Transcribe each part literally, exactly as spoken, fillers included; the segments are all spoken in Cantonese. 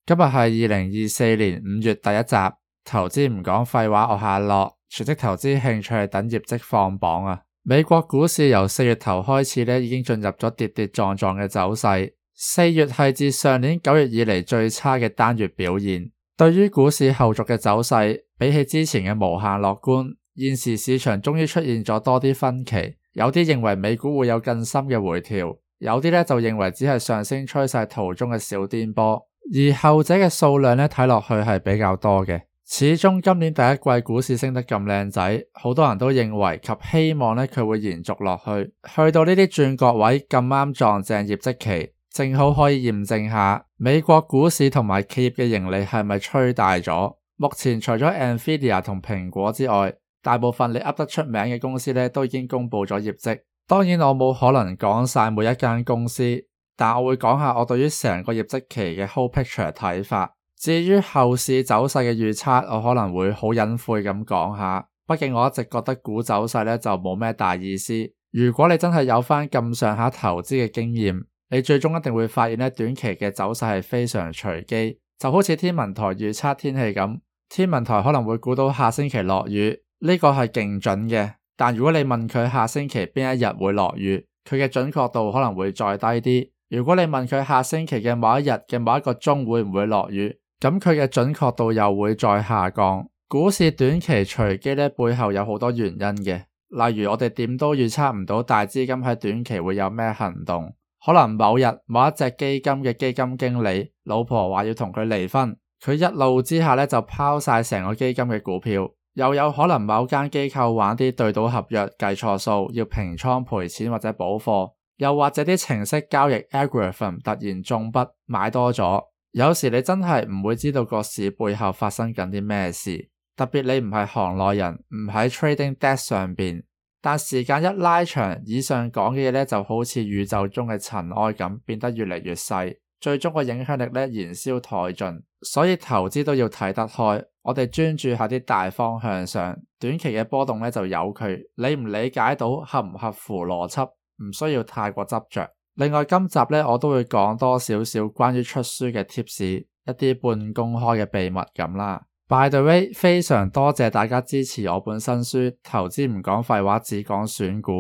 今日係二零二四年五月第一集，投資唔講廢話，我係阿樂，全職投資興趣係等業績放榜啊。美國股市由四月頭開始咧，已經進入咗跌跌撞撞嘅走勢。四月係自上年九月以嚟最差嘅單月表現。對於股市後續嘅走勢，比起之前嘅無限樂觀，現時市場終於出現咗多啲分歧。有啲認為美股會有更深嘅回調，有啲咧就認為只係上升趨勢途中嘅小顛簸。而後者嘅數量咧睇落去係比較多嘅。始終今年第一季股市升得咁靚仔，好多人都認為及希望咧佢會延續落去。去到呢啲轉角位咁啱撞正業績期，正好可以驗證下美國股市同埋企業嘅盈利係咪吹大咗。目前除咗 Nvidia 同蘋果之外，大部分你噏得出名嘅公司咧都已經公布咗業績。當然我冇可能講晒每一間公司，但我會講下我對於成個業績期嘅 whole picture 睇法。至於後市走勢嘅預測，我可能會好隱晦咁講下，畢竟我一直覺得股走勢咧就冇咩大意思。如果你真係有返咁上下投資嘅經驗，你最終一定會發現咧短期嘅走勢係非常隨機，就好似天文台預測天氣咁，天文台可能會估到下星期落雨，呢個係勁準嘅。但如果你問佢下星期邊一日會落雨，佢嘅準確度可能會再低啲。如果你問佢下星期嘅某一日嘅某一個鐘會唔會落雨，咁佢嘅準確度又會再下降。股市短期隨機咧背後有好多原因嘅，例如我哋點都預測唔到大資金喺短期會有咩行動，可能某日某一隻基金嘅基金經理老婆話要同佢離婚，佢一怒之下咧就拋晒成個基金嘅股票。又有可能某間機構玩啲對賭合約計錯數，要平倉賠錢或者補貨，又或者啲程式交易 algorithm 突然中筆買多咗。有時你真係唔會知道個市背後發生緊啲咩事，特別你唔係行內人，唔喺 trading desk 上邊。但時間一拉長，以上講嘅嘢咧就好似宇宙中嘅塵埃咁，變得越嚟越細，最終個影響力咧燃燒殆盡。所以投資都要睇得開，我哋專注下啲大方向上，短期嘅波動咧就由佢，理唔理解到合唔合乎邏輯，唔需要太過執着。另外今集咧我都會講多少少關於出書嘅 tips， 一啲半公開嘅秘密咁啦。By the way， 非常多謝大家支持我本新書《投資唔講廢話，只講選股》。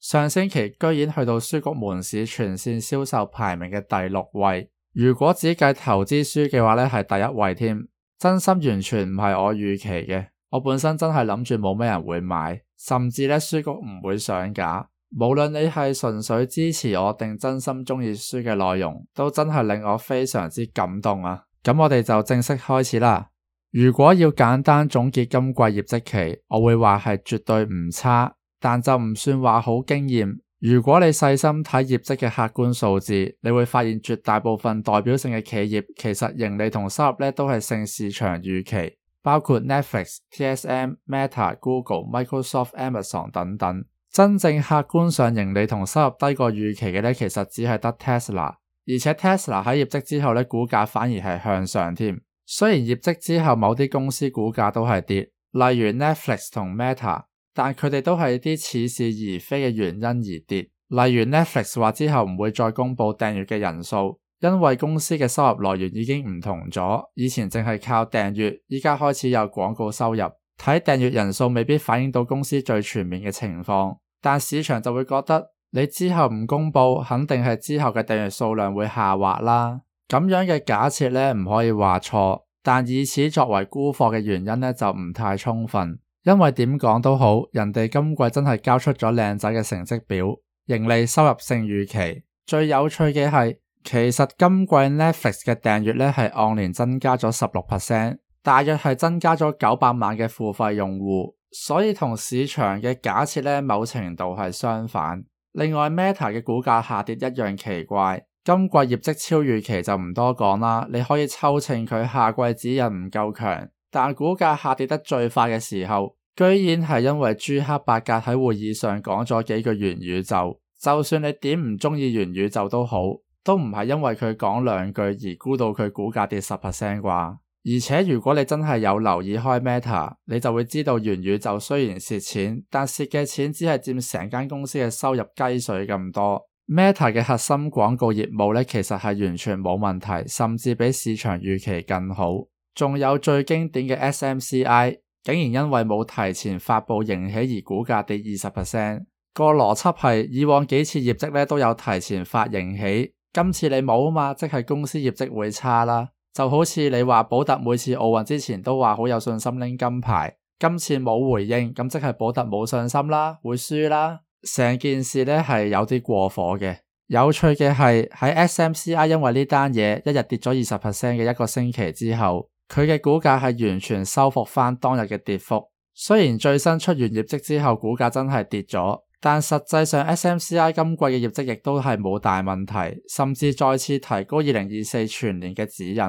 上星期居然去到書局門市全線銷售排名嘅第六位，如果只計投資書嘅話咧係第一位添。真心完全唔係我預期嘅，我本身真係諗住冇咩人會買，甚至咧書局唔會上架。無論你係純粹支持我定真心鍾意書嘅內容，都真係令我非常之感動啊！咁我哋就正式開始啦。如果要簡單總結今季業績期，我會話係絕對唔差，但就唔算話好驚艷。如果你細心睇業績嘅客觀數字，你會發現絕大部分代表性嘅企業其實盈利同收入咧都係勝市場預期，包括 Netflix、T S M、Meta、Google、Microsoft、Amazon 等等。真正客觀上盈利同收入低過預期嘅咧，其實只係得 Tesla， 而且 Tesla 喺業績之後咧，股價反而係向上添。雖然業績之後某啲公司股價都係跌，例如 Netflix 同 Meta， 但佢哋都係啲似是而非嘅原因而跌。例如 Netflix 話之後唔會再公布訂閱嘅人數，因為公司嘅收入來源已經唔同咗，以前淨係靠訂閱，依家開始有廣告收入，睇訂閱人數未必反映到公司最全面嘅情況。但市場就會覺得你之後唔公布，肯定係之後嘅訂閱數量會下滑啦。咁樣嘅假設咧唔可以話錯，但以此作為沽貨嘅原因咧就唔太充分。因為點講都好，人哋今季真係交出咗靚仔嘅成績表，盈利收入勝預期。最有趣嘅係，其實今季 Netflix 嘅訂閱咧係按年增加咗 百分之十六， 大約係增加咗九百萬嘅付費用戶。所以同市場嘅假設咧，某程度係相反。另外 Meta 嘅股價下跌一樣奇怪，今季業績超預期就唔多講啦，你可以抽秤佢下季指引唔夠強，但股價下跌得最快嘅時候，居然係因為朱克伯格喺會議上講咗幾句元宇宙。就算你點唔中意元宇宙都好，都唔係因為佢講兩句而估到佢股價跌 百分之十 啩。而且如果你真係有留意開 Meta， 你就會知道元宇宙雖然蝕錢，但蝕嘅錢只係佔成間公司嘅收入雞水咁多。Meta 嘅核心廣告業務呢，其實係完全冇問題，甚至比市場預期更好。仲有最經典嘅 S M C I， 竟然因為冇提前發佈盈喜而股價跌 百分之二十。個邏輯係以往幾次業績呢都有提前發盈喜，今次你冇啊嘛，即係公司業績會差啦。就好似你話寶特每次奧運之前都話好有信心拎金牌，今次冇回應，咁即係寶特冇信心啦，會輸啦。成件事呢係有啲過火嘅。有趣嘅係喺 S M C I 因為呢單嘢一日跌咗 百分之二十 嘅一個星期之後，佢嘅股價係完全收復翻當日嘅跌幅。雖然最新出完業績之後股價真係跌咗，但實際上 S M C I 今季嘅業績亦都係冇大問題，甚至再次提高二零二四全年嘅指引。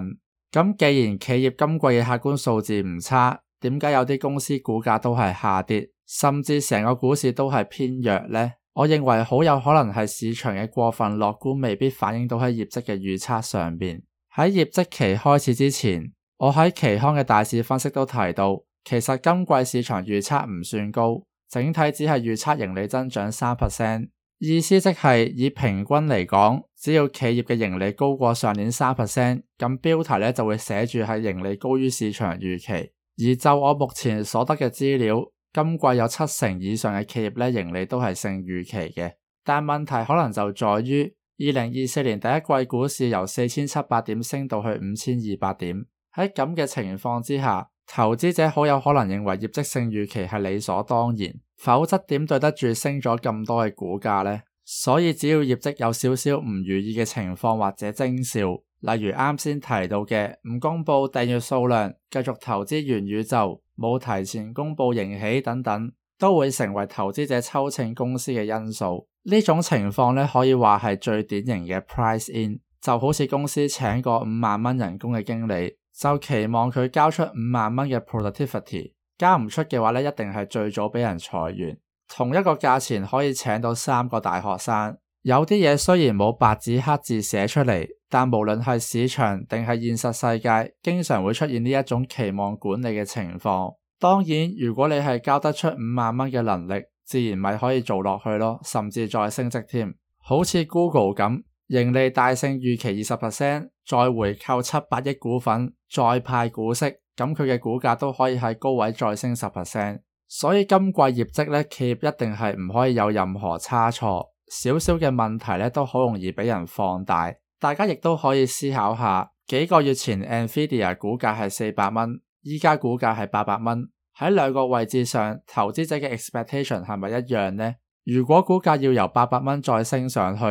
咁既然企業今季嘅客觀數字唔差，點解有啲公司股價都係下跌，甚至成個股市都係偏弱呢？我認為好有可能係市場嘅過分樂觀未必反映到喺業績嘅預測上面。喺業績期開始之前，我喺期刊嘅大市分析都提到，其實今季市場預測唔算高，整體只係預測盈利增長 百分之三， 意思即係以平均嚟講，只要企業嘅盈利高過上年 百分之三， 咁標題呢就會寫住係盈利高於市場預期。而就我目前所得嘅資料，今季有七成以上嘅企業呢盈利都係勝預期嘅，但問題可能就在於二零二四年第一季股市由四千七百點升到去五千二百點，喺咁嘅情況之下，投資者好有可能認為業績勝預期係理所當然，否則點對得住升咗咁多嘅股價呢？所以只要業績有少少唔如意嘅情況或者徵兆，例如啱先提到嘅唔公布訂閱數量、繼續投資元宇宙、冇提前公布盈喜等等，都會成為投資者抽秤公司嘅因素。呢種情況呢，可以話係最典型嘅 price in， 就好似公司請個五萬蚊人工嘅經理，就期望佢交出五萬蚊嘅 productivity， 交唔出嘅話呢，一定係最早俾人裁員。同一個價錢可以請到三個大學生。有啲嘢雖然冇白紙黑字寫出嚟，但無論係市場定係現實世界，經常會出現呢一種期望管理嘅情況。當然，如果你係交得出五萬蚊嘅能力，自然咪可以做落去咯，甚至再升職添。好似 Google 咁，盈利大勝預期 百分之二十， 再回購七百億股份，再派股息，咁佢嘅股價都可以喺高位再升 百分之十。所以今季業績呢，企業一定係唔可以有任何差錯。少少嘅問題咧都好容易俾人放大，大家亦都可以思考下，幾個月前 Nvidia 股價係四百蚊，依家股價係八百蚊，喺兩個位置上，投資者嘅 expectation 係咪一樣呢？如果股價要由八百蚊再升上去，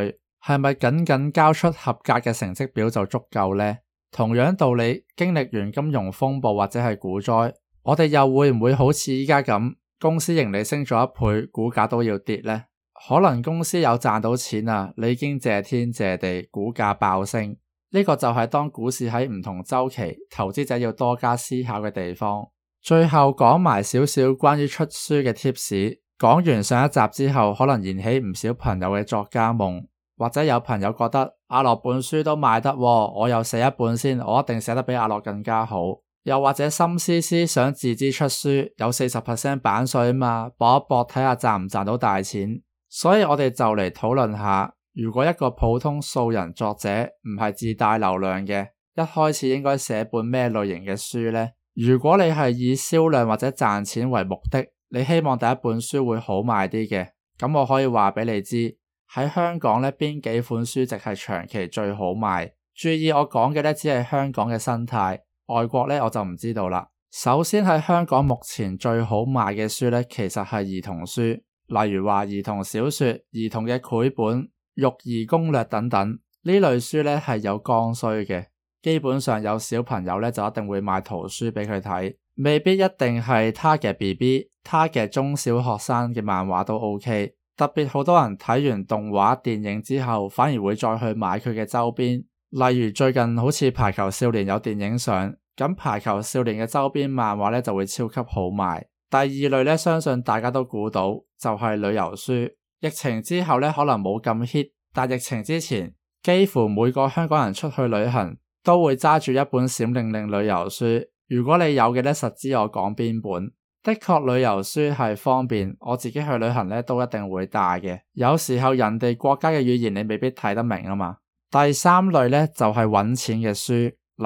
係咪僅僅交出合格嘅成績表就足夠呢？同樣道理，經歷完金融風暴或者係股災，我哋又會唔會好似依家咁，公司盈利升咗一倍，股價都要跌呢？可能公司有賺到錢啊，你已經謝天謝地，股價爆升。呢個就係當股市喺唔同週期，投資者要多加思考嘅地方。最後講埋少少關於出書嘅 tips。講完上一集之後，可能燃起唔少朋友嘅作家夢，或者有朋友覺得阿樂本書都賣得喎，我又寫一本先，我一定寫得比阿樂更加好。又或者心思思想自資出書，有 百分之四十 版稅啊嘛，搏一搏睇下賺唔賺到大錢。所以我哋就嚟討論下，如果一個普通素人作者唔係自帶流量嘅，一開始應該寫本咩類型嘅書呢？如果你係以銷量或者賺錢為目的，你希望第一本書會好賣啲嘅，咁我可以話俾你知，喺香港呢邊幾款書籍係長期最好賣。注意我講嘅呢只係香港嘅生態，外國呢我就唔知道啦。首先喺香港目前最好賣嘅書呢，其實係兒童書。例如話兒童小說、兒童嘅繪本、育兒攻略等等，呢類書呢係有剛需嘅，基本上有小朋友呢就一定會買圖書俾佢睇，未必一定係 target B B、target 中小學生嘅漫畫都 OK。特別好多人睇完動畫電影之後，反而會再去買佢嘅周邊，例如最近好似排球少年有電影上，咁排球少年嘅周邊漫畫呢就會超級好賣。第二類呢，相信大家都估到，就係旅遊書。疫情之後呢，可能冇咁 hit， 但疫情之前，幾乎每個香港人出去旅行都會揸住一本閃令令旅遊書。如果你有嘅呢，實知我講邊本。的確旅遊書係方便，我自己去旅行咧都一定會帶嘅。有時候人哋國家嘅語言你未必睇得明啊嘛。第三類咧就係揾錢嘅書，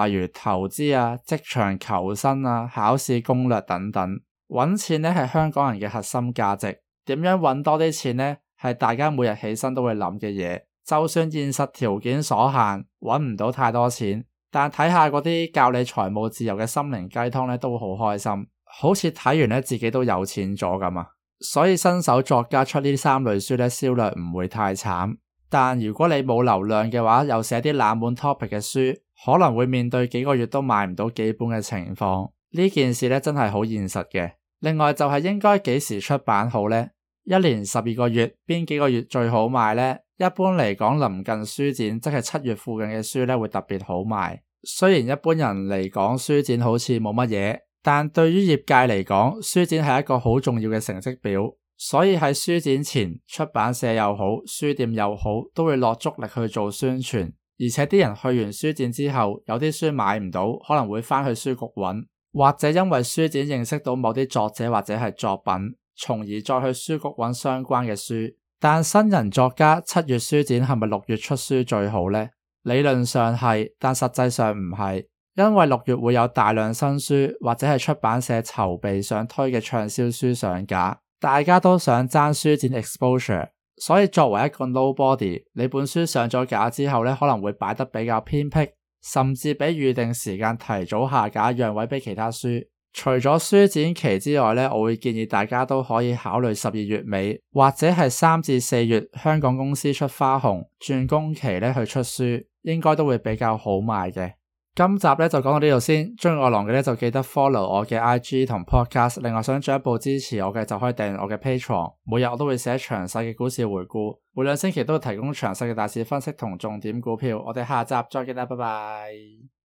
例如投資啊、職場求生啊、考試攻略等等。揾錢咧係香港人嘅核心價值，點樣揾多啲錢呢？係大家每日起身都會諗嘅嘢。就算現實條件所限，揾唔到太多錢，但睇下嗰啲教你財務自由嘅心靈雞湯咧，都會好開心，好似睇完咧自己都有錢咗咁啊！所以新手作家出呢三類書咧，銷量唔會太慘。但如果你冇流量嘅話，又寫啲冷門 topic 嘅書，可能會面對幾個月都賣唔到幾本嘅情況。呢件事咧真係好現實嘅。另外就係應該幾時出版好呢？一年十二個月，邊幾個月最好賣呢？一般嚟講，臨近書展，即係七月附近嘅書咧會特別好賣。雖然一般人嚟講書展好似冇乜嘢，但對於業界嚟講，書展係一個好重要嘅成績表。所以喺書展前，出版社又好，書店又好，都會落足力去做宣傳。而且啲人去完書展之後，有啲書買唔到，可能會返去書局揾，或者因為書展認識到某啲作者或者係作品，從而再去書局揾相關嘅書。但新人作家七月書展係咪六月出書最好呢？理論上係，但實際上唔係，因為六月會有大量新書，或者係出版社籌備想推嘅暢銷書上架。大家都想爭書展 exposure， 所以作為一個 nobody， 你本書上咗架之後咧，可能會擺得比較偏僻，甚至比預定時間提早下架，讓位俾其他書。除咗書展期之外咧，我會建議大家都可以考慮十二月尾或者係三至四月香港公司出花紅轉工期咧去出書，應該都會比較好賣嘅。今集咧就講到呢度先，鍾意我郎嘅咧就記得 follow 我嘅 I G 同 podcast， 另外想進一步支持我嘅就可以訂閱我嘅 Patreon， 每日我都會寫詳細嘅股市回顧，每兩星期都會提供詳細嘅大市分析同重點股票。我哋下集再見啦，拜拜。